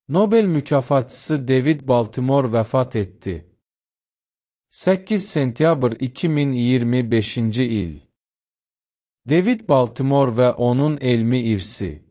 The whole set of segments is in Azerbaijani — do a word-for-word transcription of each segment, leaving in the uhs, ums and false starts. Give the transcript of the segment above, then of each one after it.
Nobel mükafatçısı David Baltimore vəfat etdi. səkkiz sentyabr iki min iyirmi beşinci il. David Baltimore və onun elmi irsi.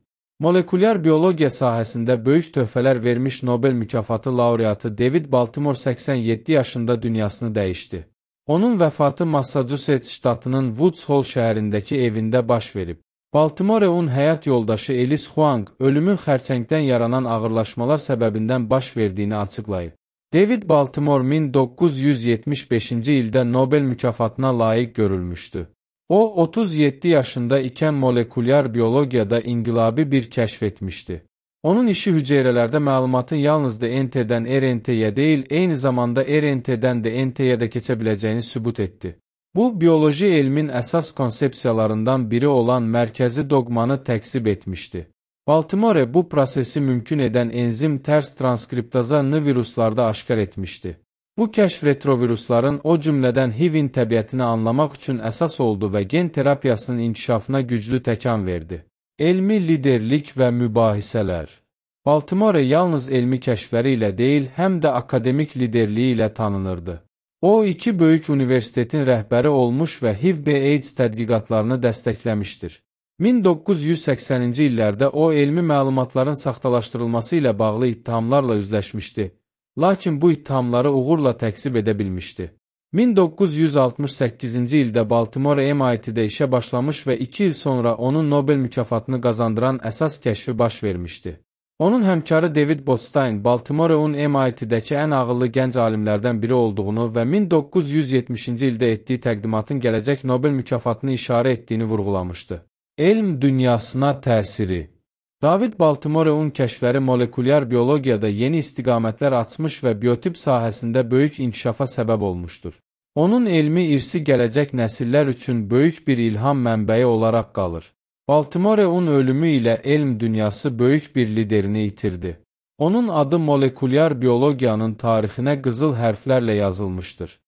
Molekulyar biologiya sahəsində böyük töhfələr vermiş Nobel mükafatı laureatı David Baltimore səksən yeddi yaşında dünyasını dəyişdi. Onun vəfatı Massachusetts ştatının Woods Hole şəhərindəki evində baş verib. Baltimore'un həyat yoldaşı Elis Huang, ölümün xərçəngdən yaranan ağırlaşmalar səbəbindən baş verdiyini açıqlayıb. David Baltimore min doqquz yüz yetmiş beşinci ildə Nobel mükafatına layiq görülmüşdü. O, otuz yeddi yaşında ikən molekulyar biologiyada inqilabi bir kəşf etmişdi. Onun işi hüceyrələrdə məlumatın yalnız D N T'dən R N T'yə deyil, eyni zamanda R N T'dən D N T'yə də keçə biləcəyini sübut etdi. Bu, biyoloji elmin əsas konsepsiyalarından biri olan mərkəzi doqmanı təksib etmişdi. Baltimore bu prosesi mümkün edən enzim tərs transkriptaza N viruslarda aşkar etmişdi. Bu kəşf retrovirusların, o cümlədən H I V'in təbiətini anlamaq üçün əsas oldu və gen terapiyasının inkişafına güclü təkan verdi. Elmi liderlik və mübahisələr. Baltimore yalnız elmi kəşfləri ilə deyil, həm də akademik liderliyi ilə tanınırdı. O, iki böyük universitetin rəhbəri olmuş və H I V B AIDS tədqiqatlarını dəstəkləmişdir. min doqquz yüz səksəninci illərdə o, elmi məlumatların saxtalaşdırılması ilə bağlı ittihamlarla üzləşmişdi, lakin bu ittihamları uğurla təkzib edə bilmişdi. min doqquz yüz altmış səkkizinci ildə Baltimore M I T'də işə başlamış və iki il sonra onun Nobel mükafatını qazandıran əsas kəşfi baş vermişdi. Onun həmkarı David Botstein, Baltimore'un M I T'dəki ən ağıllı gənc alimlərdən biri olduğunu və min doqquz yüz yetmişinci ildə etdiyi təqdimatın gələcək Nobel mükafatını işarə etdiyini vurğulamışdı. Elm dünyasına təsiri. David Baltimore'un kəşfləri molekulyar biologiyada yeni istiqamətlər açmış və biotip sahəsində böyük inkişafa səbəb olmuşdur. Onun elmi irsi gələcək nəsillər üçün böyük bir ilham mənbəyi olaraq qalır. Baltimore'un ölümü ilə elm dünyası böyük bir liderini itirdi. Onun adı molekulyar biologiyanın tarixinə qızıl hərflərlə yazılmışdır.